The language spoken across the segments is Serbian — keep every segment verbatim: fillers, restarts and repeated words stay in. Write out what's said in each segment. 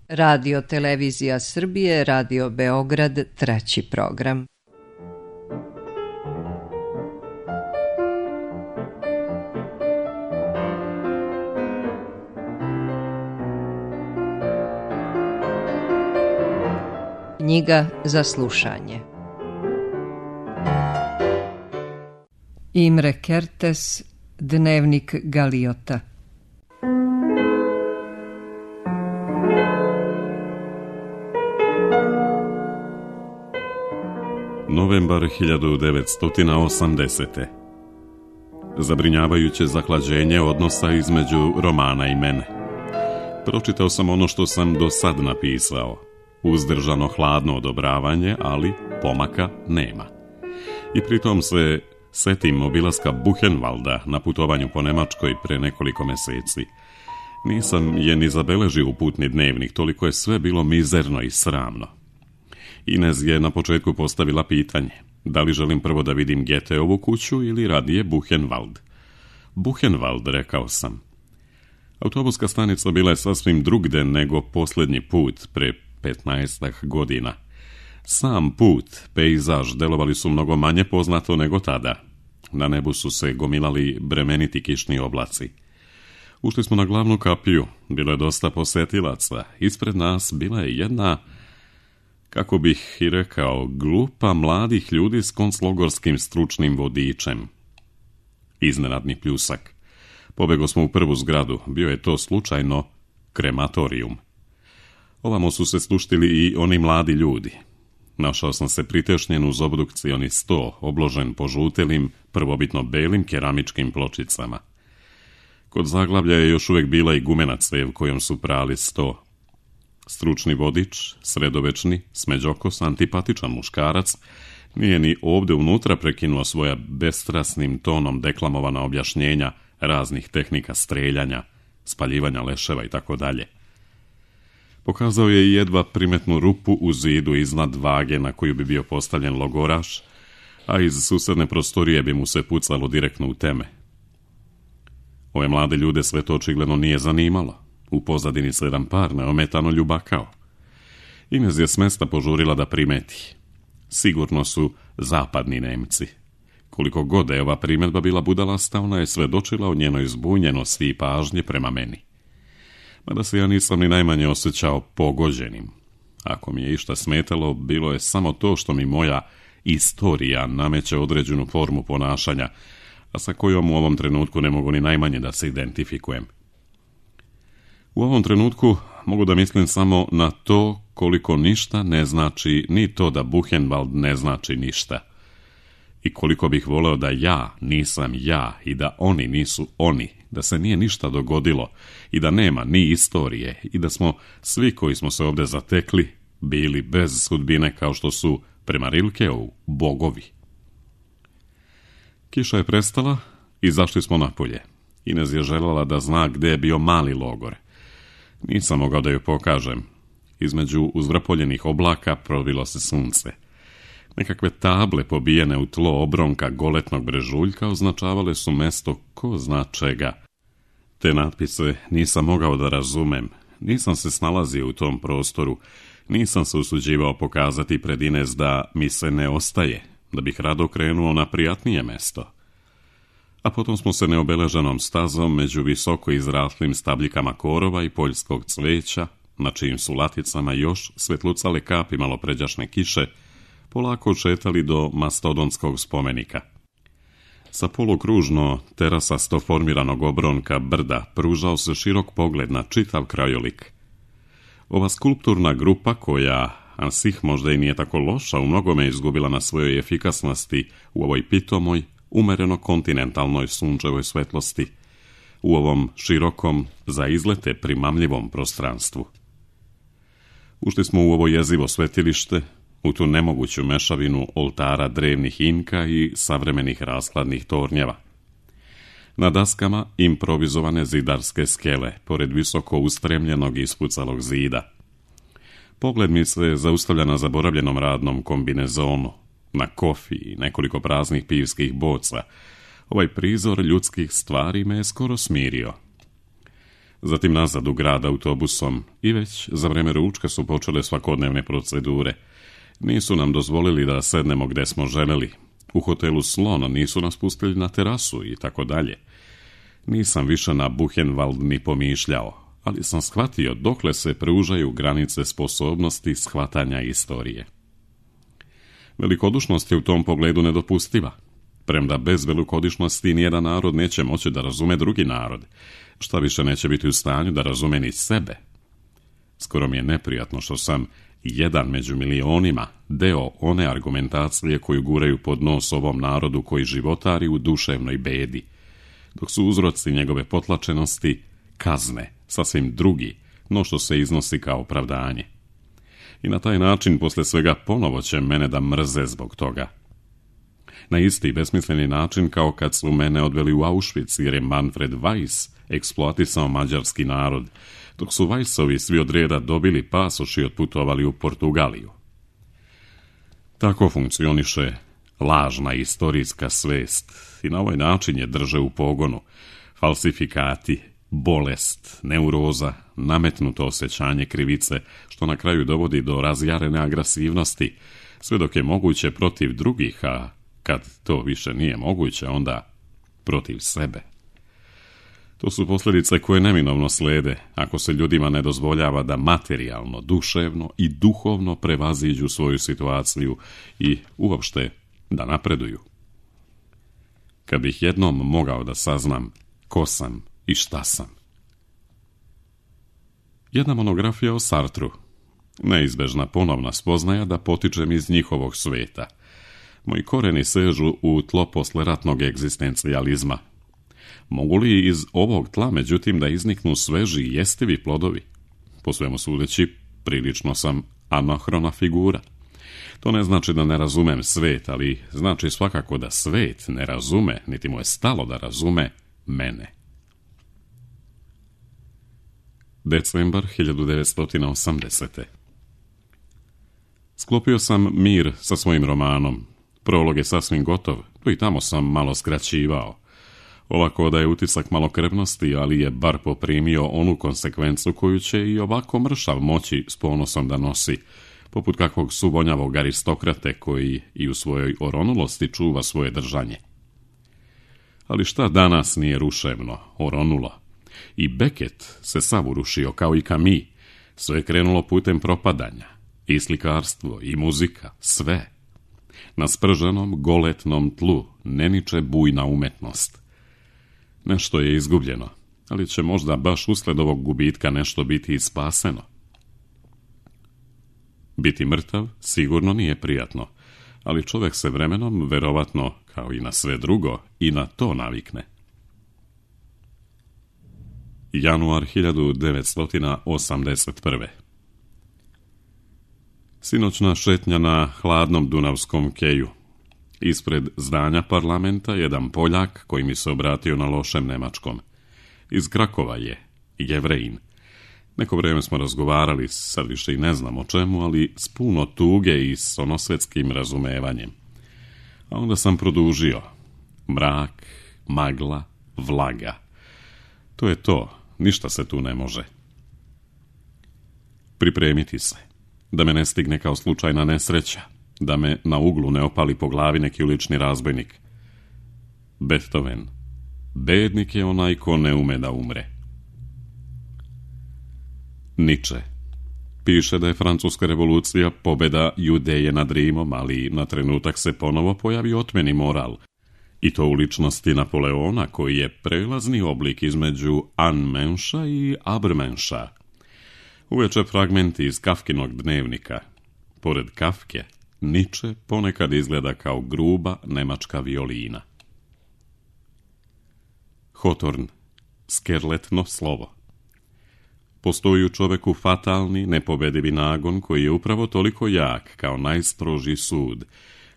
Radio Televizija Srbije, Radio Beograd, treći program. Knjiga za slušanje. Imre Kertész, Dnevnik Galiota. Novembar hiljadu devetsto osamdesete. Zabrinjavajuće zahlađenje odnosa između Romana i mene. Pročitao sam ono što sam do sad napisao. Uzdržano hladno odobravanje, ali pomaka nema. I pritom se setim obilaska Buchenwalda na putovanju po Nemačkoj pre nekoliko meseci. Nisam je ni zabeležio u putni dnevnik, toliko je sve bilo mizerno i sramno. Inez je na početku postavila pitanje, da li želim prvo da vidim Goetheovu kuću ili radije Buchenwald. Buchenwald, rekao sam. Autobuska stanica bila je sasvim drugde nego posljednji put pre petnaestak godina. Sam put, pejzaž, delovali su mnogo manje poznato nego tada. Na nebu su se gomilali bremeniti kišni oblaci. Ušli smo na glavnu kapiju, bilo je dosta posetilaca. Ispred nas bila je jedna, kako bih i rekao, grupa mladih ljudi s konclogorskim stručnim vodičem. Iznenadni pljusak. Pobego smo u prvu zgradu, bio je to slučajno krematorijum. Ovamo su se sluštili i oni mladi ljudi. Našao sam se pritešnjen uz obdukcioni sto, obložen požutelim, prvobitno belim keramičkim pločicama. Kod zaglavlja je još uvijek bila i gumena cev kojom su prali sto. Stručni vodič, sredovečni, smeđokos, antipatičan muškarac, nije ni ovdje unutra prekinuo svoja bestrasnim tonom deklamovana objašnjenja raznih tehnika streljanja, spaljivanja leševa i tako dalje. Pokazao je i jedva primetnu rupu u zidu iznad vage na koju bi bio postavljen logoraš, a iz susedne prostorije bi mu se pucalo direktno u teme. Ove mlade ljude sve to očigledno nije zanimalo. U pozadini se jedan par neometano ljubakao. Inez je s mesta požurila da primeti. Sigurno su zapadni Nemci. Koliko god je ova primjedba bila budalasta, ona je svedočila o njenoj zbunjenosti i pažnje prema meni. Mada se ja nisam ni najmanje osjećao pogođenim. Ako mi je išta smetalo, bilo je samo to što mi moja istorija nameće određenu formu ponašanja, a sa kojom u ovom trenutku ne mogu ni najmanje da se identifikujem. U ovom trenutku mogu da mislim samo na to koliko ništa ne znači, ni to da Buchenwald ne znači ništa. I koliko bih voleo da ja nisam ja i da oni nisu oni, da se nije ništa dogodilo i da nema ni istorije i da smo svi koji smo se ovdje zatekli bili bez sudbine kao što su prema Rilkeu bogovi. Kiša je prestala i zašli smo napolje. Inez je željela da zna gdje je bio mali logor. Nisam mogao da joj pokažem. Između uzvrpoljenih oblaka probilo se sunce. Nekakve table pobijene u tlo obronka goletnog brežuljka označavale su mesto ko zna čega. Te natpise nisam mogao da razumem. Nisam se snalazio u tom prostoru. Nisam se usuđivao pokazati pred Inez da mi se ne ostaje, da bih rado krenuo na prijatnije mesto. A potom smo se neobeleženom stazom među visoko izraslim stabljikama korova i poljskog cveća, na čijim su laticama još svetlucale kapi malopređašnje kiše, polako šetali do mastodonskog spomenika. Sa polukružno terasasto formiranog obronka brda pružao se širok pogled na čitav krajolik. Ova skulpturna grupa koja, ansih možda i nije tako loša, u mnogome izgubila na svojoj efikasnosti u ovoj pitomoj, umereno kontinentalnoj sunčevoj svetlosti, u ovom širokom, za izlete primamljivom prostranstvu. Ušli smo u ovo jezivo svetilište, u tu nemoguću mešavinu oltara drevnih Inka i savremenih raskladnih tornjeva. Na daskama improvizovane zidarske skele, pored visoko ustremljenog i ispucalog zida. Pogled mi se zaustavlja na zaboravljenom radnom kombinezonu, na kofi i nekoliko praznih pivskih boca. Ovaj prizor ljudskih stvari me je skoro smirio. zatim nazad u grad autobusom i već za vreme ručka su počele svakodnevne procedure. Nisu nam dozvolili da sednemo gde smo želeli. U hotelu Slon nisu nas pustili na terasu i tako dalje. Nisam više na Buchenwald ni pomišljao, ali sam shvatio dokle se pružaju granice sposobnosti shvatanja istorije. Velikodušnost je u tom pogledu nedopustiva. Premda bez velikodušnosti nijedan narod neće moći da razume drugi narod, šta više neće biti u stanju da razume ni sebe. Skoro mi je neprijatno što sam jedan među milionima deo one argumentacije koju guraju pod nos ovom narodu koji životari u duševnoj bedi, dok su uzroci njegove potlačenosti kazne, sasvim drugi, no što se iznosi kao opravdanje. I na taj način posle svega ponovo će mene da mrze zbog toga. Na isti besmisleni način kao kad su mene odveli u Auschwitz jer je Manfred Weiss eksploatisao mađarski narod, dok su Weissovi svi od reda dobili pasoš i otputovali u Portugaliju. Tako funkcioniše lažna istorijska svest i na ovaj način je drže u pogonu falsifikati, bolest, neuroza, nametnuto osjećanje krivice, što na kraju dovodi do razjarene agresivnosti, sve dok je moguće protiv drugih, a kad to više nije moguće, onda protiv sebe. To su posljedice koje neminovno slede ako se ljudima ne dozvoljava da materijalno, duševno i duhovno prevaziđu svoju situaciju i uopšte da napreduju. Kad bih jednom mogao da saznam ko sam i šta sam. Jedna monografija o Sartru. Neizbežna ponovna spoznaja da potičem iz njihovog sveta. Moji koreni sežu u tlo posleratnog egzistencijalizma. Mogu li iz ovog tla, međutim, da izniknu sveži i jestivi plodovi? Po svemu sudeći, prilično sam anahrona figura. To ne znači da ne razumem svet, ali znači svakako da svet ne razume, niti mu je stalo da razume mene. Decembar hiljadu devetsto osamdesete. Sklopio sam mir sa svojim romanom. Prolog je sasvim gotov, tu i tamo sam malo skraćivao. Ovako da je utisak malokrvnosti, ali je bar poprimio onu konsekvencu koju će i ovako mršav moći s ponosom da nosi, poput kakvog subonjavog aristokrate koji i u svojoj oronulosti čuva svoje držanje. Ali šta danas nije ruševno, oronulo? I Beckett se sav urušio kao i Camus, sve je krenulo putem propadanja, i slikarstvo, i muzika, sve. Na sprženom, goletnom tlu ne niče bujna umetnost. Nešto je izgubljeno, ali će možda baš usled ovog gubitka nešto biti i spaseno. Biti mrtav sigurno nije prijatno, ali čovjek se vremenom, verovatno, kao i na sve drugo, i na to navikne. Januar hiljadu devetsto osamdeset prve. Sinoćna šetnja na hladnom dunavskom keju. Ispred zdanja parlamenta jedan Poljak koji mi se obratio na lošem nemačkom. Iz Krakova je, Jevrejin. Neko vrijeme smo razgovarali, sad više i ne znam o čemu, ali s puno tuge i s onosvetskim razumevanjem. A onda sam produžio. Mrak, magla, vlaga. To je to, ništa se tu ne može. Pripremiti se, da me ne stigne kao slučajna nesreća, da me na uglu ne opali po glavi neki ulični razbojnik. Beethoven. Bednik je onaj ko ne ume da umre. Nietzsche. Piše da je francuska revolucija pobjeda Judeje nad Rimom, ali na trenutak se ponovo pojavi otmeni moral. I to u ličnosti Napoleona, koji je prelazni oblik između Anmenša i Abrmenša. Uveče fragmenti iz Kafkinog dnevnika. Pored Kafke, Nietzsche ponekad izgleda kao gruba nemačka violina. Hawthorne. Skerletno slovo. Postoji u čoveku fatalni, nepobedivi nagon koji je upravo toliko jak kao najstroži sud.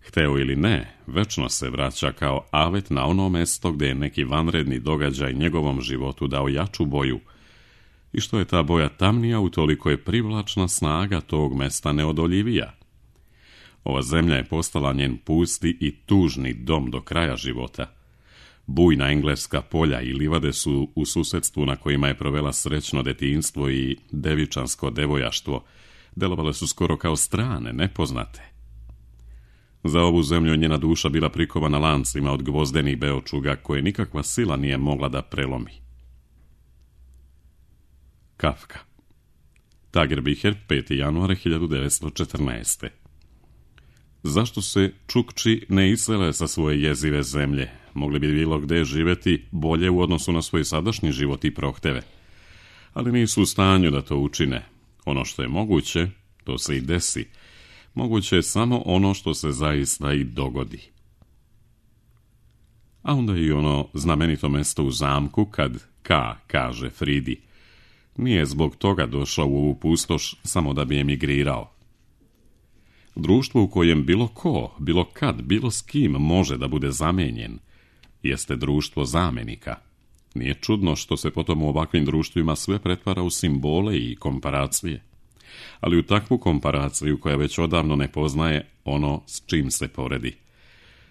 Hteo ili ne, večno se vraća kao avet na ono mesto gdje je neki vanredni događaj njegovom životu dao jaču boju. I što je ta boja tamnija, utoliko je privlačna snaga tog mesta neodoljivija. Ova zemlja je postala njen pusti i tužni dom do kraja života. Bujna engleska polja i livade su u susedstvu na kojima je provela srećno detinjstvo i devičansko devojaštvo delovale su skoro kao strane, nepoznate. Za ovu zemlju je njena duša bila prikovana lancima od gvozdenih beočuga koje nikakva sila nije mogla da prelomi. Kafka. Tagerbiher, peti januar hiljadu devetsto četrnaeste. Zašto se Čukči ne isele sa svoje jezive zemlje? Mogli bi bilo gde živeti bolje u odnosu na svoj sadašnji život i prohteve. Ali nisu u stanju da to učine. Ono što je moguće, to se i desi. Moguće je samo ono što se zaista i dogodi. A onda i ono znamenito mesto u zamku kad K kaže Fridi. Nije zbog toga došao u ovu pustoš samo da bi emigrirao. Društvo u kojem bilo ko, bilo kad, bilo s kim može da bude zamenjen, jeste društvo zamenika. Nije čudno što se potom u ovakvim društvima sve pretvara u simbole i komparacije. Ali u takvu komparaciju koja već odavno ne poznaje ono s čim se poredi.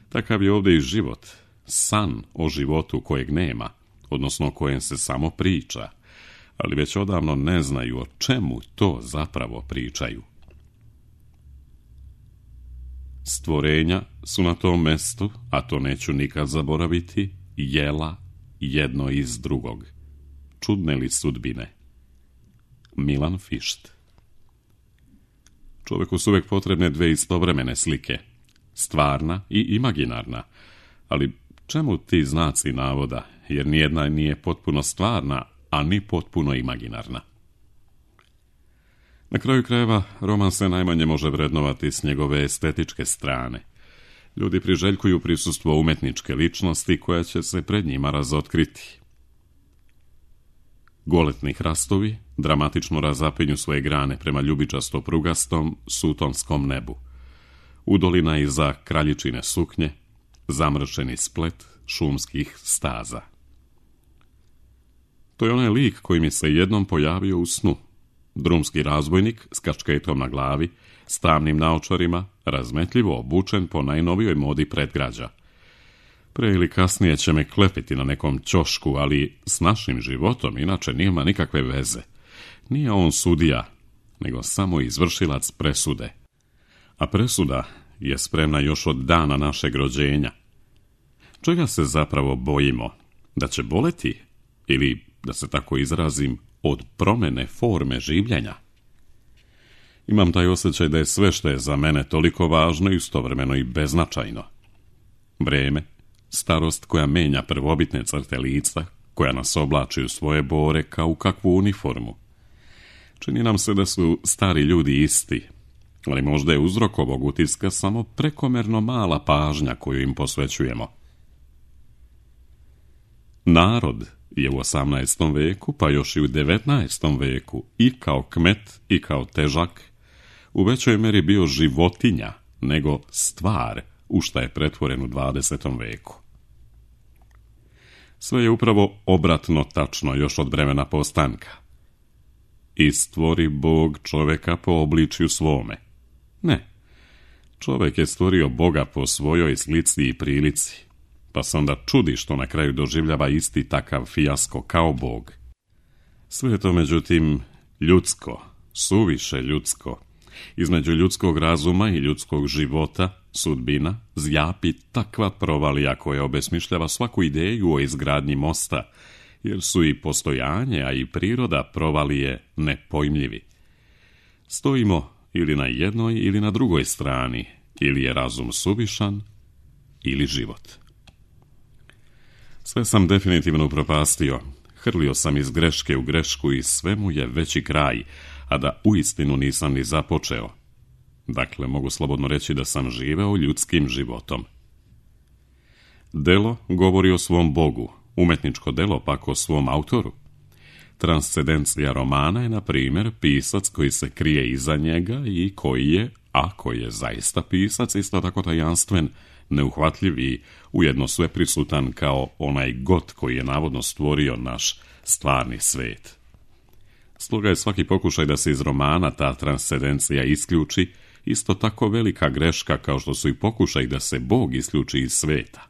Takav je ovdje i život, san o životu kojeg nema, odnosno o kojem se samo priča, ali već odavno ne znaju o čemu to zapravo pričaju. Stvorenja su na tom mestu, a to neću nikad zaboraviti, jela jedno iz drugog. Čudne li sudbine? Milan Fišt. Čovjeku su uvijek potrebne dve istovremene slike, stvarna i imaginarna, ali čemu ti znaci navoda, jer nijedna nije potpuno stvarna, a ni potpuno imaginarna. Na kraju krajeva, roman se najmanje može vrednovati s njegove estetičke strane. Ljudi priželjkuju prisustvo umetničke ličnosti koja će se pred njima razotkriti. Goletni hrastovi dramatično razapinju svoje grane prema ljubičasto prugastom sutonskom nebu. Udolina iza kraljičine suknje, zamršeni splet šumskih staza. To je onaj lik koji mi se jednom pojavio u snu. Drumski razbojnik s kačketom na glavi, s tamnim naočarima, razmetljivo obučen po najnovijoj modi predgrađa. Pre ili kasnije će me klepiti na nekom ćošku, ali s našim životom inače nema nikakve veze. Nije on sudija, nego samo izvršilac presude. A presuda je spremna još od dana našeg rođenja. Čega se zapravo bojimo? Da će boleti? Ili, da se tako izrazim, od promene forme življenja? Imam taj osjećaj da je sve što je za mene toliko važno i istovremeno i beznačajno. Vreme, starost koja menja prvobitne crte lica, koja nas oblači u svoje bore kao u kakvu uniformu. Čini nam se da su stari ljudi isti, ali možda je uzrok ovog utiska samo prekomerno mala pažnja koju im posvećujemo. Narod je u osamnaestom veku, pa još i u devetnaestom veku, i kao kmet i kao težak, u većoj meri bio životinja nego stvar u šta je pretvoren u dvadesetom veku. Sve je upravo obratno tačno još od vremena postanka. I stvori Bog čoveka po obličju svome. Ne, čovek je stvorio Boga po svojoj slici i prilici, pa se onda čudi što na kraju doživljava isti takav fijasko kao Bog. Sve je to međutim ljudsko, suviše ljudsko. Između ljudskog razuma i ljudskog života, sudbina, zjapi takva provalija koja obesmišljava svaku ideju o izgradnji mosta, jer su i postojanje, a i priroda provalije nepojmljivi. Stojimo ili na jednoj ili na drugoj strani, ili je razum suvišan, ili život. Sve sam definitivno upropastio, hrlio sam iz greške u grešku i sve mu je veći kraj, a da uistinu nisam ni započeo. Dakle, mogu slobodno reći da sam živeo ljudskim životom. Delo govori o svom Bogu, umetničko delo pak o svom autoru. Transcendencija romana je, na primjer, pisac koji se krije iza njega i koji je, ako je zaista pisac, isto tako tajanstven, neuhvatljiv i ujedno sveprisutan kao onaj God koji je navodno stvorio naš stvarni svet. Stoga je svaki pokušaj da se iz romana ta transcendencija isključi isto tako velika greška kao što su i pokušaj da se Bog isključi iz sveta.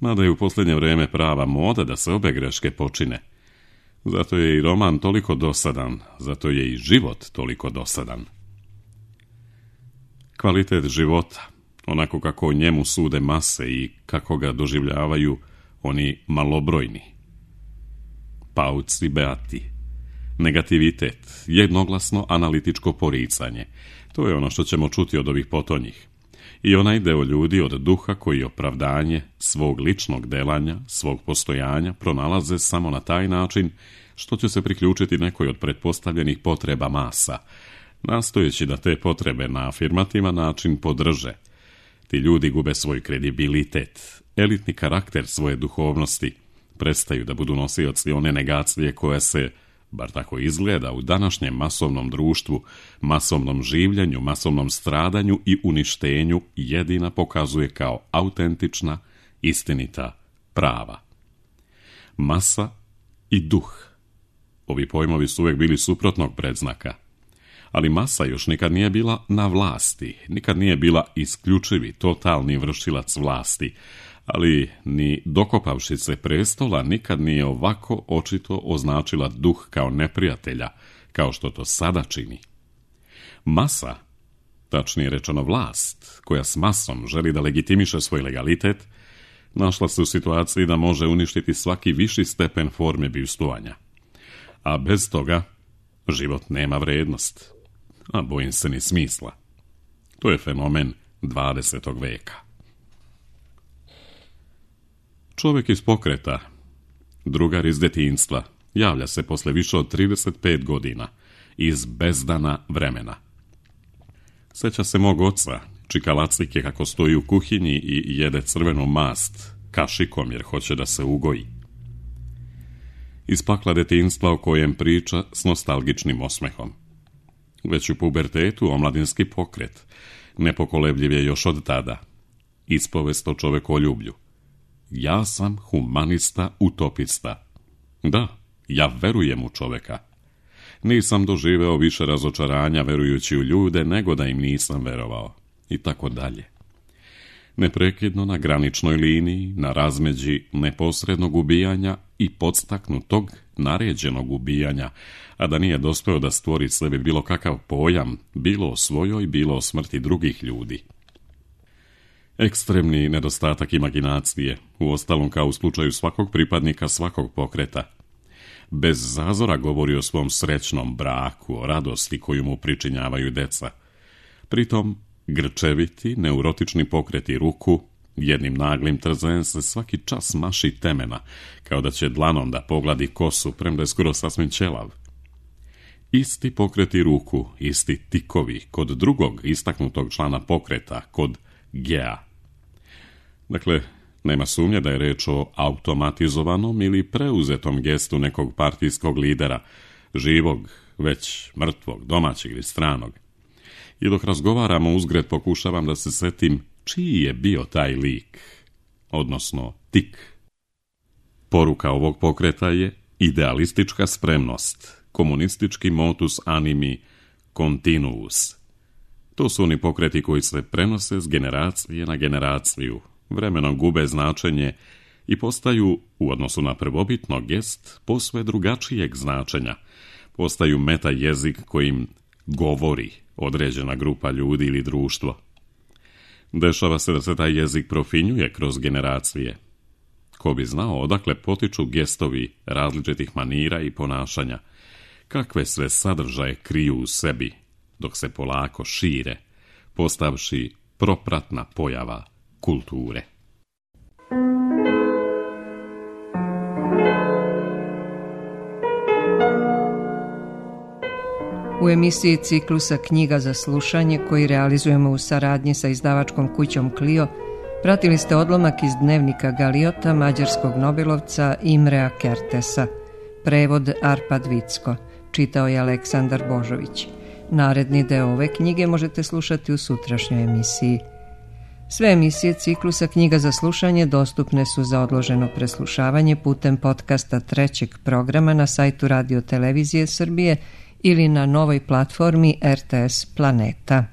Mada je u posljednje vrijeme prava moda da se obe greške počine. Zato je i roman toliko dosadan, zato je i život toliko dosadan. Kvalitet života, onako kako o njemu sude mase i kako ga doživljavaju oni malobrojni. Pauci beati. Negativitet, jednoglasno analitičko poricanje. To je ono što ćemo čuti od ovih potonjih. I onaj deo ljudi od duha koji opravdanje svog ličnog delanja, svog postojanja pronalaze samo na taj način što će se priključiti nekoj od pretpostavljenih potreba masa, nastojeći da te potrebe na afirmativan način podrže. Ti ljudi gube svoj kredibilitet, elitni karakter svoje duhovnosti, prestaju da budu nosioci one negacije koje se, bar tako izgleda, u današnjem masovnom društvu, masovnom življenju, masovnom stradanju i uništenju jedina pokazuje kao autentična, istinita, prava. Masa i duh. Ovi pojmovi su uvijek bili suprotnog predznaka. Ali masa još nikad nije bila na vlasti, nikad nije bila isključivi, totalni vršilac vlasti, ali ni dokopavši se prestola nikad nije ovako očito označila duh kao neprijatelja, kao što to sada čini. Masa, tačnije rečeno vlast, koja s masom želi da legitimiše svoj legalitet, našla se u situaciji da može uništiti svaki viši stepen forme bivstvovanja. A bez toga život nema vrednost, a bojim se ni smisla. To je fenomen dvadesetog veka. Čovjek iz pokreta, drugar iz detinjstva, javlja se posle više od trideset pet godina, iz bezdana vremena. Seća se mog oca, čikalacike kako stoji u kuhinji i jede crvenu mast, kašikom jer hoće da se ugoji. Iz pakla detinjstva o kojem priča s nostalgičnim osmehom. Već u pubertetu omladinski pokret, nepokolebljiv je još od tada. Ispovest o čovekoljublju. Ja sam humanista utopista. Da, ja verujem u čoveka. Nisam doživeo više razočaranja verujući u ljude nego da im nisam verovao. I tako dalje. Neprekidno na graničnoj liniji, na razmeđi neposrednog ubijanja i podstaknutog, naređenog ubijanja, a da nije dospeo da stvori sebi bilo kakav pojam, bilo o svojoj, bilo o smrti drugih ljudi. Ekstremni nedostatak imaginacije, uostalom kao u slučaju svakog pripadnika svakog pokreta. Bez zazora govori o svom srećnom braku, o radosti koju mu pričinjavaju deca. Pritom, grčeviti, neurotični pokreti ruku, jednim naglim trzajem se svaki čas maši temena, kao da će dlanom da pogladi kosu, premda je skoro sasvim ćelav. Isti pokreti ruku, isti tikovi, kod drugog istaknutog člana pokreta, kod Gea. Dakle, nema sumnje da je reč o automatizovanom ili preuzetom gestu nekog partijskog lidera, živog, već mrtvog, domaćeg ili stranog. I dok razgovaramo uzgred pokušavam da se setim čiji je bio taj lik, odnosno tik. Poruka ovog pokreta je idealistička spremnost, komunistički motus animi continuus. To su oni pokreti koji se prenose s generacije na generaciju, vremenom gube značenje i postaju, u odnosu na prvobitno gest, posve drugačijeg značenja. Postaju meta jezik kojim govori određena grupa ljudi ili društvo. Dešava se da se taj jezik profinjuje kroz generacije. Ko bi znao odakle potiču gestovi različitih manira i ponašanja, kakve sve sadržaje kriju u sebi, dok se polako šire, postavši propratna pojava kulture. U emisiji ciklusa Knjiga za slušanje, koji realizujemo u saradnji sa izdavačkom kućom Clio, pratili ste odlomak iz dnevnika Galiota mađarskog nobelovca Imrea Kertesa. Prevod Arpad Vicko. Čitao je Aleksandar Božović. Naredni deo ove knjige možete slušati u sutrašnjoj emisiji. Sve emisije ciklusa Knjiga za slušanje dostupne su za odloženo preslušavanje putem podcasta trećeg programa na sajtu Radio Televizije Srbije ili na novoj platformi R T S Planeta.